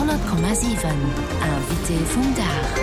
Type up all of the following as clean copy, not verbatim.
100,7 Invité vum Dag.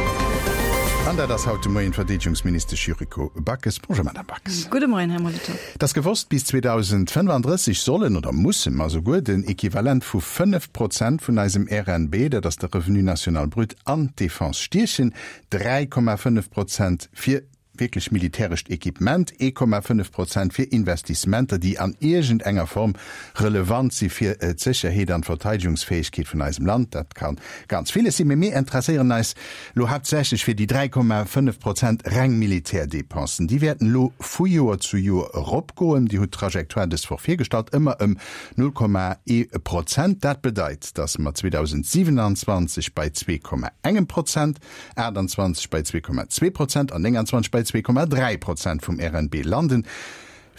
An dat ass haut de Moien d'Verdeedegungsministesch Yuriko Backes. Bonjour Madame Backes. Gudde Moien, Här Molitor. Et ass gewosst, bis 2035 sollen, oder musse mer souguer, den Equivalent vu 5 Prozent vun eisem RNB, dat ass de Revenu national brut, an d'Defense stiechen, 3,5 Prozent fir wierklech militärescht Equipement, 1,5 Prozent fir Investissementer, déi an iergend enger Form relevant si fir d'Sécherheet an d'Verteidegungsfäegkeet vun eisem Land. Dat ka ganz villes sinn, mee mir interesséieren eis elo haaptsächlech fir déi 3,5 Prozent reng Militärdépensen. Déi wäerten elo vu Joer zu Joer eropgoen. Dir hutt d'Trajectoire dës Woch virgestallt, ëmmer ëm 0,1 Prozent. Dat bedeit, datt mer 2027 bei 2,engem Prozent 28 bei 2,2 Prozent an 29 bei 2,3 Prozent vum RNB landen.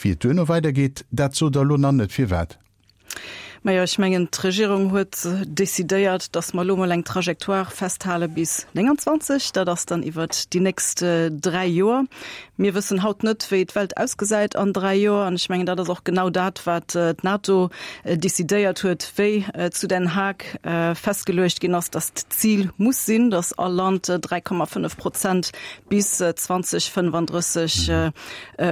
Wéi et duerno weidergeet, dat sot Der elo nach net. Firwat? Majo, ech mengen, d'Regierung huet decidéiert, datt mer elo mol eng Trajectoire festhale bis 29. Dat ass dann iwwert déi nächst dräi Joer. Mir wëssen haut net, wéi d'Welt ausgesäit an dräi Joer. An ech mengen, dat ass och genau dat, wat d'NATO decidéiert huet, wéi zu Den Haag festgeluecht ginn ass, datt d'Zil muss sinn, datt all Land 3,5 Prozent bis 2035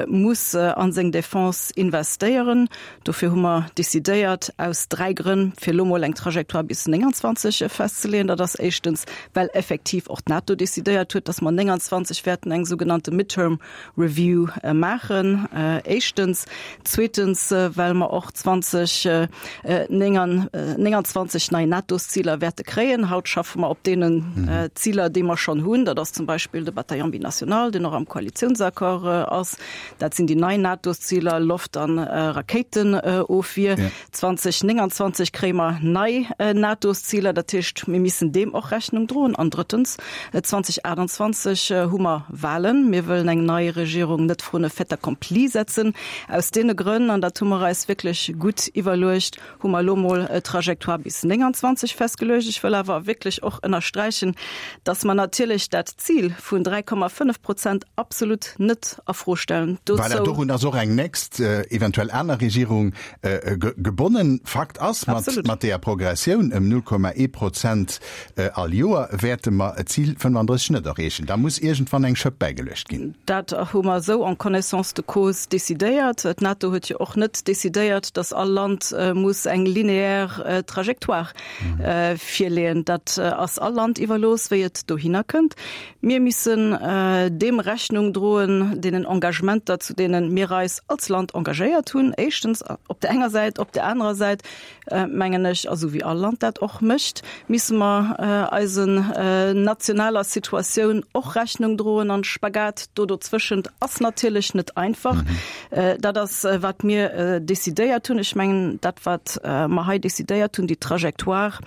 muss a seng Defense investéieren. Dofir hu mer decidéiert, aus dräi Grënn, fir elo mol eng Trajectoire bis 29 festzeleeën. Dat ass éischtens, well effektiv och d'NATO decidéiert huet, datt mer 29 wäerten eng sougenannte Midterm Review maachen, éischtens. Zweetens, well mer och 2029 nei NATO-Ziler wäerte kréien. Haut schaffe mer op deenen Ziler, déi mer schonn hunn. Dat ass zum Beispill de Bataillon binational, deen och am Koalitiounsaccord ass. Dat sinn déi nei NATO-Ziler, Loft an Rakéitenofwier. 2029 kréie mer nei NATO-Ziler, dat heescht, mir missen deem och Rechnung droen. An drëttens, 2028 hu mer Wahlen. Mir wëllen eng nei Regierung net vrun e Fait accompli setzen. Aus deene Grënn, an dat hu mer eis wierklech gutt iwwerluecht, hu mer elo mol d'Trajectoire bis 29 festgeluecht. Ech wëll awer wierklech och ënnersträichen, dass mer natierlech dat Zil vun 3,5 Prozent absolut net a Fro stellen. Voilà, dorun ass och eng nächst, eventuell aner Regierung Gebonnen. Fakt ass, mat deeër Progressioun ëm 0,1 Prozent all Joer wäerte mer d'Zil 35 net erreechen. Da muss iergendwann eng Schëpp bäigeluecht ginn. Dat hu mer esou en connaissance de cause decidéiert. D'NATO huet jo och net decidéiert, datt all Land muss eng linéaire Trajectoire virleeën. Dat ass all Land iwwerlooss, wéi et dohinner kënnt. Mir missen deem Rechnung droen, deenen Engagementer, zu deene mir eis als Land engagéiert hunn, éischtens op där enger Säit. Op där anerer Säit, mengen ech, a sou wéi all Land dat och mécht, misse mer eisen nationaler Situatioun och Rechnung droen. An Spagat do dozwëschent ass natierlech net einfach. Dat ass, wat mir decidéiert hunn. Ech mengen, dat, wat mer hei decidéiert hunn, déi Trajectoire,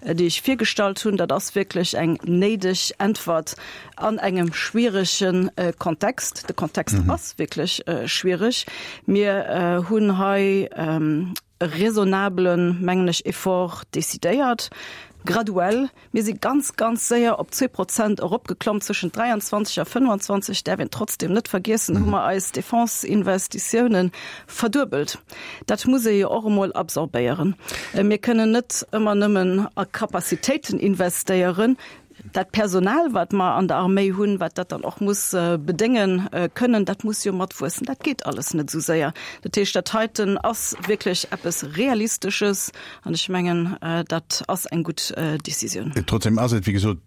déi ech virgestallt hunn, dat ass wierklech eng néideg Äntwert an engem schwierege Kontext. De Kontext ass wierklech schwiereg. Mir hunn hei e raisonnablen, mengen ech, Effort decidéiert, graduell. Mir si ganz, ganz séier op 2 Prozent eropgeklomm zwëschent 23 a 25, däerf een trotzdem net vergiessen, hu mer eis Defense-Investitiounen verduebelt. Dat muss ee jo och emol absorbéieren. Mir kënnen net ëmmer nëmmen a Capacitéiten investéieren. Dat Personal, wat mer an der Arméi hunn, wat dat dann och muss bedénge kënnen, dat muss jo matwuessen. Dat geet alles net esou séier. Dat heescht, dat heiten ass wierklech eppes Realistesches an ech mengen, dat ass eng gutt Décisioun. Trotzdem ass et, wéi gesot,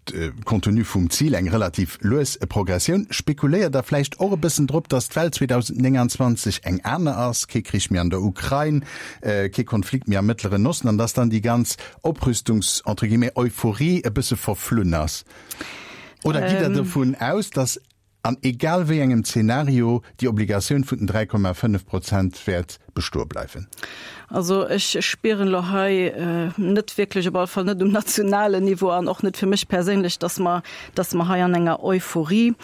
compte tenu vum Zil, eng relativ lues Progressioun. Spekuléiert Der vläicht och e bëssen drop, datt d'Welt 2029 eng aner ass, kee Krich méi an der Ukrain, kee Konflikt méi am Mëttleren Osten, an datt dann déi ganz Oprüstungs-, entre guillemets, Euphorie e bësse verflunn ass? Oder gitt Der dovun aus, datt an egal wéi engem Zeenario déi Obligatioun vun den 3,5 Prozent wäert bestoe bleiwen? Also ech spieren elo hei net wierklech, op alle Fall net um nationalen Niveau an och net fir mech perséinlech, dass mer, dass mer hei an enger Euphorie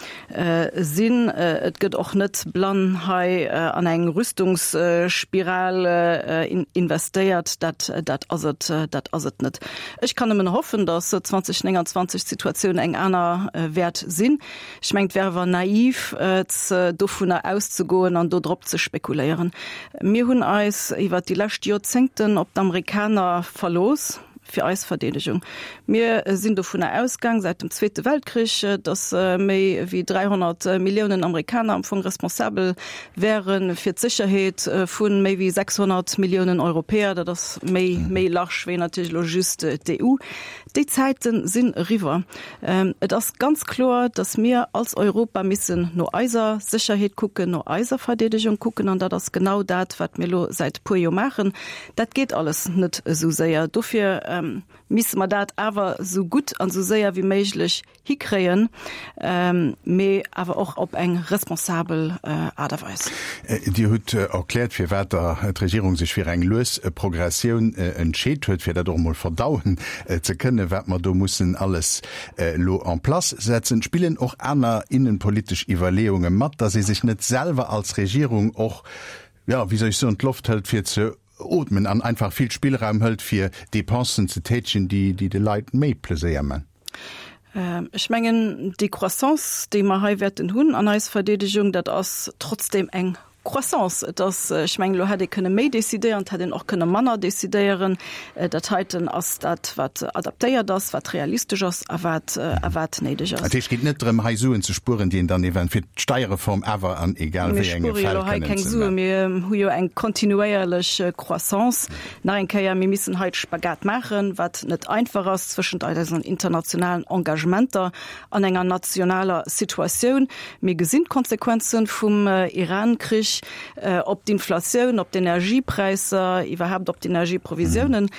sinn. Et gëtt och net blann hei an eng Rüstungsspiral investéiert. Dat, dat ass et, dat ass et net. Ech kann nëmmen hoffen, dass 2029 d'Situatioun eng aner wäert sinn. Ech mengen, et wär awer naiv, dovunner auszegoen an do drop ze spekuléieren. Mir hunn eis iwwert déi lescht Joerzéngten op d'Amerikaner verlooss. fir eis Verdeedegung. Mir sinn dovunner ausgaang säit dem Zweete Weltkrich, datt méi wéi 300 Milliounen Amerikaner am Fong responsabel wäre fir d'Sécherheet vu méi wéi 600 Milliounen Europäer. Dat ass méi, méi large wéi natierlech elo just d'EU. Déi Zäite sinn eriwwer. Et ass ganz kloer, datt mir als Europa missen no eiser Sécherheet kucken, no eiser Verdeedegung kucken. An dat ass genau dat, wat mir elo säit e puer Joer maachen. Dat geet alles net esou séier. Dofir misse mer dat awer esou gutt an esou séier wéi méiglech hikréien, mee awer och op eng responsabel Aart a Weis. Dir hutt erkläert, firwat der d'Regierung sech fir eng lues Progressioun entscheet huet, fir dat och emol verdauen ze kënnen, wat mer do mussen alles elo en place setzen. Spillen och aner innenpolitesch Iwwerleeunge mat, dass ee sech net selwer als Regierung och, jo, wéi soll ech soen, d'Loft hëlt fir ze ootmen an einfach vill Spillraum hëlt fir Dépensen ze tätegen, déi de Leit méi Pleséier man? Ech mengen, déi Croissance, déi mer hei wäerten hunn an eis Verdeedegung, dat ass trotzdem eng Croissance. Et ass, ech mengen, elo hätt ee kënne méi decidéieren, et hätt een och kënne manner decidéieren. Dat heiten ass dat, wat adaptéiert ass, wat realistesch ass a wat, a wat néideg ass. Dat heescht, et geet net drëm, hei Suen ze spueren, déi een dann eventuell fir d'Steierreform awer an egal wéi enge Fäll kënnen ze. Mir spuere jo elo hei keng Suen, mir hu jo eng kontinuéierlech Croissance. Nach eng Kéier, mir missen hei de Spagat maachen, wat net einfach ass zwëschent eisen internationalen Engagementer an enger nationaler Situatioun. Mir gesinn d'Konsequenze vum Iran-Krich op d'Inflatioun, op d'Energiepräisser, iwwerhaapt op d'Energieprovisiounen.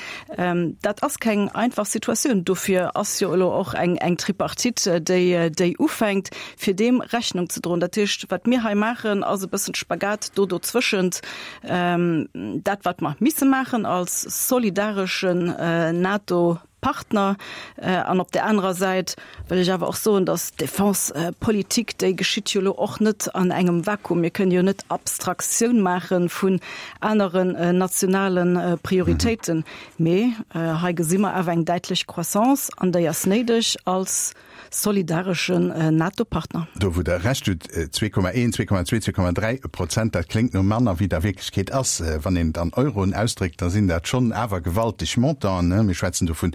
Dat ass keng einfach Situatioun. Dofir ass jo elo och eng Tripartite, déi ufänkt, fir deem Rechnung ze droen. Dat heescht, wat mir hei maachen, ass e bëssen Spagat do dozwëschent. Dat, wat mer misse maachen als solidareschen NATO, Partner. An op där anerer Säit wëll ech awer och soen, datt d'Defense-Politik, déi geschitt jo elo och net an engem Vakuum. Mir kënnen jo net Abstraktioun maache vun aneren nationale Prioritéiten. Mee hei gesi mer awer eng däitlech Croissance, an déi ass néideg als solidareschen NATO-Partner. Do wou Der Recht hutt, 2,1, 2,2, 2,3 Prozent, dat kléngt no manner wéi et a Wierklechkeet ass. Wann een et an Euroen ausdréckt, da sinn dat schonn awer gewalteg Montanten. Mir schwätzen do vun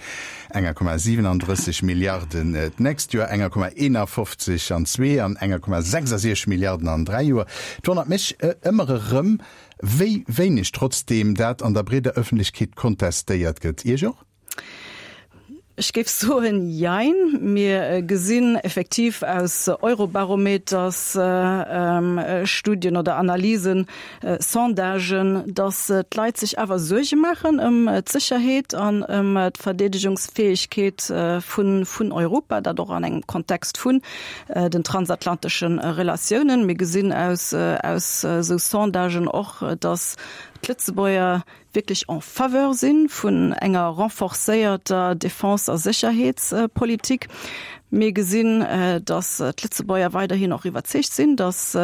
enger Komma 37 Milliarden d'nächst Joer, enger Komma 51 an zwee an enger Komma 66 Milliarden an dräi Joer. Et wonnert mech ëmmer erëm, wéi wéineg trotzdeem dat an der breeder Ëffentlechkeet kontestéiert gëtt. Iech och? Ech géif soen, Jein. Mir gesinn effektiv aus Eurobarometers-Studien oder Analysen, Sondagen, datt d'Leit sech awer Suerge maachen ëm d'Sécherheet an ëm d'Verdeedegungsfäegkeet vun Europa, dat och an engem Kontext vun den transatlantesche Relatiounen. Mir gesinn aus esou Sondagen och, datt d'Lëtzebuerger wierklech en faveur si vun enger renforcéierter Defense a Sécherheetspolitik. Mir gesinn, datt d'Lëtzebuerger weiderhin och iwwerzeegt sinn, datt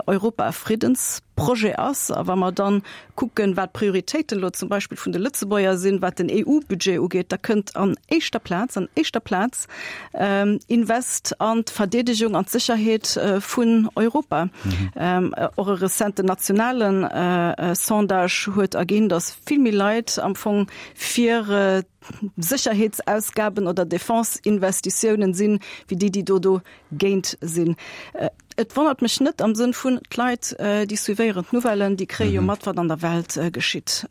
Europa e Friddensprojet ass. A wa mer dann kucken, wat d'Prioritéiten elo zum Beispill vun de Lëtzebuerger sinn, wat den EU-Budget ugeet, da kënnt an éischter Plaz, an éischter Plaz, Invest an d'Verdeedegung an d'Sécherheet vun Europa. Och e rezenten nationale Sondage huet erginn, datt vill méi Leit am Fong fir Sécherheetsausgaben oder Defense-Investitiounen sinn, wéi déi, déi do dogéint sinn. Et wonnert mech net am Sënn vun, d'Leit, déi suivéieren d'Nouvellen, déi kréie jo mat, wat an der Welt geschitt.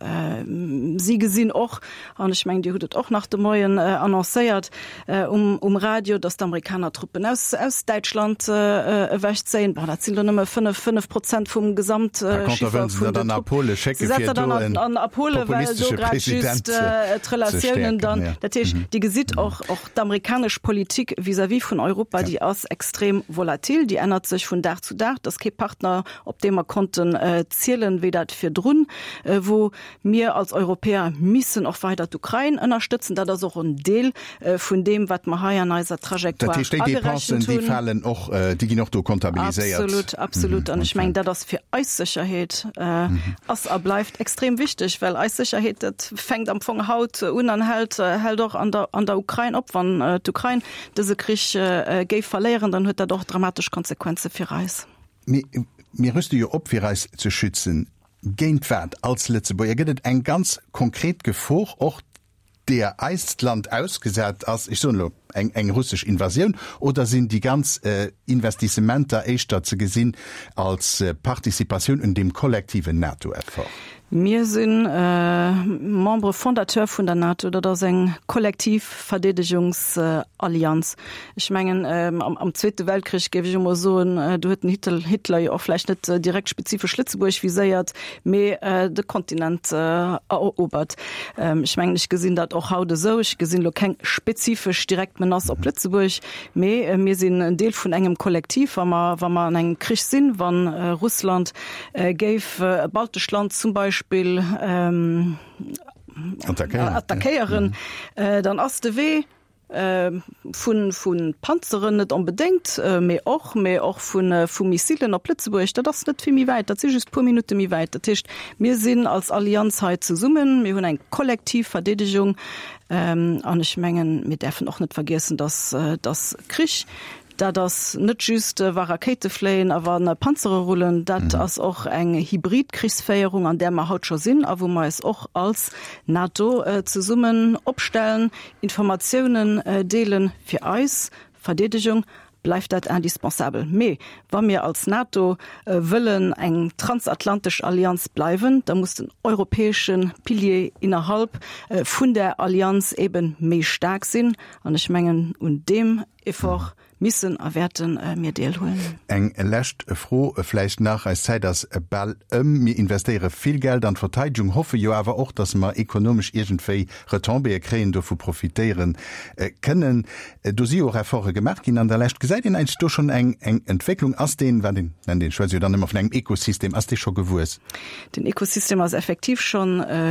Si gesinn och, an ech mengen, Dir hutt et och nach de Moien annoncéiert um Radio, datt d'Amerikaner Truppen aus Däitschland ewechzéien. Bon, dat sinn elo nëmme 5, 5 Prozent vum Gesamtchiffer vun den Truppen. Se setzen dann an a Pole, well do grad just d'Relatiounen dann, dat heescht, Dir gesitt och, och D'amerikanesch Politik vis-à-vis vun Europa, déi ass extrem volatil, déi ännert sech vun Dag zu Dag. Dat ass kee Partner, op dee mer konnten zielen, wéi dat virdrun wor. Mir als Europäer missen och weider d'Ukrain ënnerstëtzen. Dat ass och en Deel vun deem, wat mer hei an eiser Trajectoire agerechent hunn. Dat heescht, déi Dépensen, déi falen och, déi ginn och do comptabiliséiert? Absolut, absolut. An ech mengen, dat ass fir eis Sécherheet ass a bleift extrem wichteg, well eis Sécherheet, dat fänkt am Fong haut un an hält, hält och an der, an der Ukrain op. Wann d'Ukrain dëse Krich géif verléieren, dann huet dat och dramatesch Konsequenze fir eis. Mee mir rüste jo op, fir eis ze schützen. Géint wat als Lëtzebuerger? Gëtt et eng ganz konkret Gefor och? deeër eist Land ausgesat ass, ech soen elo eng eng russesch Invasioun, oder sinn déi ganz Investissementer éischter ze gesinn als Participatioun un deem kollektiven NATO-Effort? Mir si Membre fondateur vun der NATO. Dat ass eng kollektiv Verdeedegungsallianz. Ech mengen, am Zweete Weltkrich, géif ech emol soen, do huet den Hitler jo och vläicht net direkt spezifesch Lëtzebuerg viséiert, mee de Kontinent erobert. Ech mengen, ech gesinn dat och haut esou. Ech gesinn elo keng spezifesch direkt Menace op Lëtzebuerg, mee mir sinn en Deel vun engem Kollektiv. Wa mer, wa mer an engem Krich sinn, wa Russland géif e baltescht Land zum Beispill attackéieren, dann ass de Wee vu vu Panzeren net onbedéngt, mee och, mee och vu vu Missilen op Lëtzebuerg, dat ass net vill méi wäit, dat si just puer Minutte méi wäit. Dat heescht, mir sinn als Allianz hei zesummen, mir hunn eng kollektiv Verdeedegung an ech mengen, mir däerfen och net vergiessen, datt datt Krich Dat ass net just, wa Rakéite fléien a wa Panzere rullen. Dat ass och eng hybrid Krichsféierung, an där mer haut scho sinn a wou mer eis och als NATO zesummen opstellen, Informatiounen deelen. Fir eis Verdeedegung bleift dat indispensabel. Mee wa mir als NATO wëllen eng transatlantesch Allianz bleiwen, da muss den europäesche Pilier innerhalb vun där Allianz ebe méi staark sinn. An ech mengen, un deem Effort missen a wäerte mir deelhuelen. Eng lescht Fro vläicht nach, eis Zäit ass bal ëm. Mir investéiere vill Geld an d'Verteidegung, hoffe jo awer och, datt mer ekonomesch iergendwéi Retombéeë kréien, dovu profitéiere kënnen. Do si jo och Efforte gemaach ginn an der Lescht. Gesäit een eigentlech do schonn eng Entwécklung? Ass deen, wat een nennt, een schwätzt jo dann ëmmer vun engem Ekosystem, ass dee scho gewuess? Den Ekosystem ass effektiv scho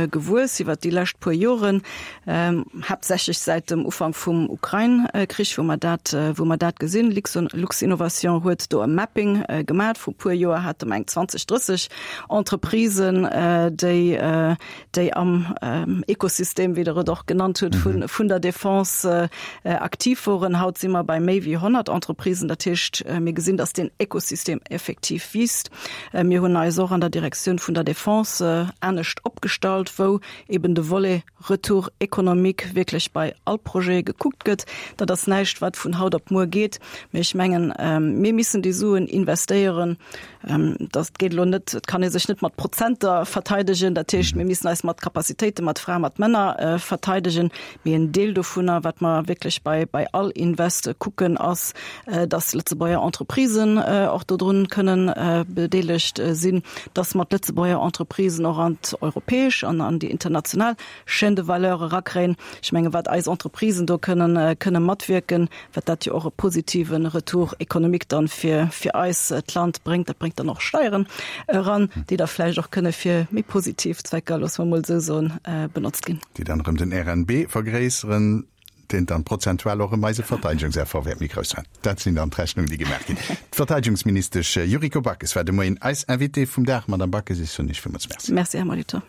gewuess iwwert déi lescht puer Joren. Haaptsächlech säit dem Ufank vum Ukrain-Krich, wou mer dat, wou mer dat gesinn. Luxinnovation huet do e Mapping gemat. Vru puer Joer hate mer eng 20, 30 Entreprisen, déi, déi am Ekosystem, wéi Der et och genannt hutt, vun, vun der Defense aktiv woren. Haut si mer bei méi wéi 100 Entreprisen. Dat heescht, mir gesinn, dass deen Ekosystem effektiv wiisst. Mir hunn eis och an der Direktioun vun der Defense anescht opgestallt, wou eben de Volet Retour économique wierklech bei all Projet gekuckt gëtt. Dat ass näischt, wat vun haut op muer geet, mee ech mengen, mir missen déi Suen investéieren. Dat geet elo net, et kann ee sech net mat Prozenter verteidegen, dat heescht, mir missen eis mat Capacitéiten, mat Fraen, mat Männer verteidegen. Mee en Deel dovunner, wat mer wierklech bei, bei all Invest kucken, ass, dass Lëtzebuerger Entreprisen och dodrun kënnen bedeelegt sinn, dass mer d'Lëtzebuerger Entreprisen och an d'europäesch an an déi international Chaîne de valeur erakréien. Ech menge wat eis Entreprisen do kënnen, kënne matwierken, wat dat jo och e positive Retour économique dann fir, fir eis d'Land bréngt, dat bréngt dann och Steieren eran, déi da vläicht och kënne fir méi positiv Zwecker, loosse mer emol esou soen, benotzt ginn. Déi dann erëm den RNB vergréisseren, deen dann prozentual och erëm eise Verteidigungseffort wäert méi grouss maachen. Dat sinn dann d'Rechnungen, déi gemaach ginn. D'Verteidigungsministesch Yuriko Backes war de Moien eis Invitée vum Dag. Madamm Backes, ech soen Iech villmools Merci. Merci, Här Molitor.